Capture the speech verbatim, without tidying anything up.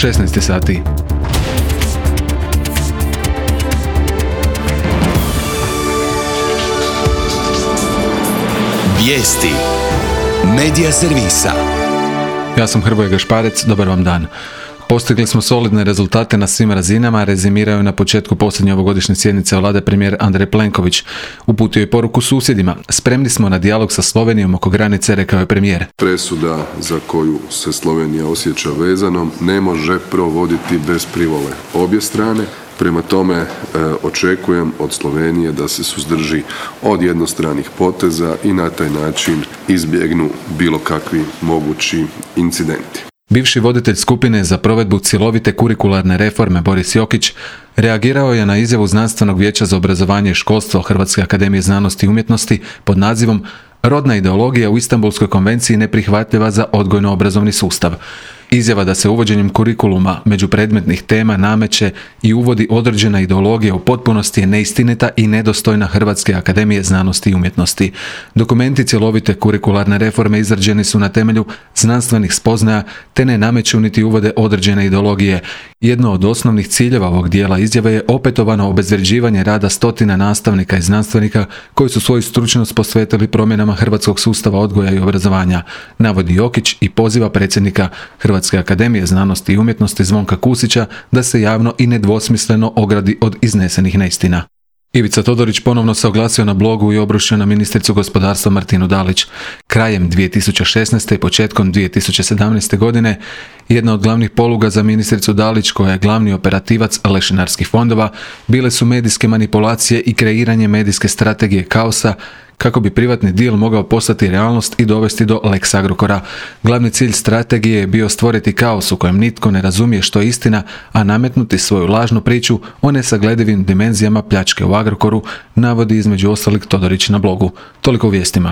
šesnaest sati. Vijesti Medija servisa. Ja sam Hrvoje Gašparec, dobar vam dan. Postigli smo solidne rezultate na svim razinama, rezimirao je na početku posljednje ovogodišnje sjednice Vlade premijer Andrej Plenković. Uputio je poruku susjedima. Spremni smo na dijalog sa Slovenijom oko granice, rekao je premijer. Presuda za koju se Slovenija osjeća vezanom ne može provoditi bez privole obje strane. Prema tome e, očekujem od Slovenije da se suzdrži od jednostranih poteza i na taj način izbjegnu bilo kakvi mogući incidenti. Bivši voditelj skupine za provedbu cjelovite kurikularne reforme Boris Jokić reagirao je na izjavu Znanstvenog vijeća za obrazovanje i školstvo Hrvatske akademije znanosti i umjetnosti pod nazivom "Rodna ideologija u Istanbulskoj konvenciji neprihvatljiva za odgojno-obrazovni sustav". Izjava da se uvođenjem kurikuluma međupredmetnih tema nameće i uvodi određena ideologija u potpunosti je neistinita i nedostojna Hrvatske akademije znanosti i umjetnosti. Dokumenti cjelovite kurikularne reforme izrađeni su na temelju znanstvenih spoznaja te ne nameću niti uvode određene ideologije. Jedno od osnovnih ciljeva ovog dijela izjave je opetovano obezvređivanje rada stotina nastavnika i znanstvenika koji su svoju stručnost posvetili promjenama hrvatskog sustava odgoja i obrazovanja, navodi Jokić i poziva predsjednika Hrvatske akademije znanosti i umjetnosti Zvonka Kusića da se javno i nedvosmisleno ogradi od iznesenih neistina. Ivica Todorić ponovno se oglasio na blogu i obrušio na ministricu gospodarstva Martinu Dalić. Krajem dvije tisuće šesnaeste i početkom dvije tisuće sedamnaeste. godine jedna od glavnih poluga za ministricu Dalić, koja je glavni operativac lešinarskih fondova, bile su medijske manipulacije i kreiranje medijske strategije kaosa kako bi privatni deal mogao postati realnost i dovesti do Lex Agrokora. Glavni cilj strategije je bio stvoriti kaos u kojem nitko ne razumije što je istina, a nametnuti svoju lažnu priču o nesagledivim dimenzijama pljačke u Agrokoru, navodi između ostalih Todorić na blogu. Toliko u vijestima.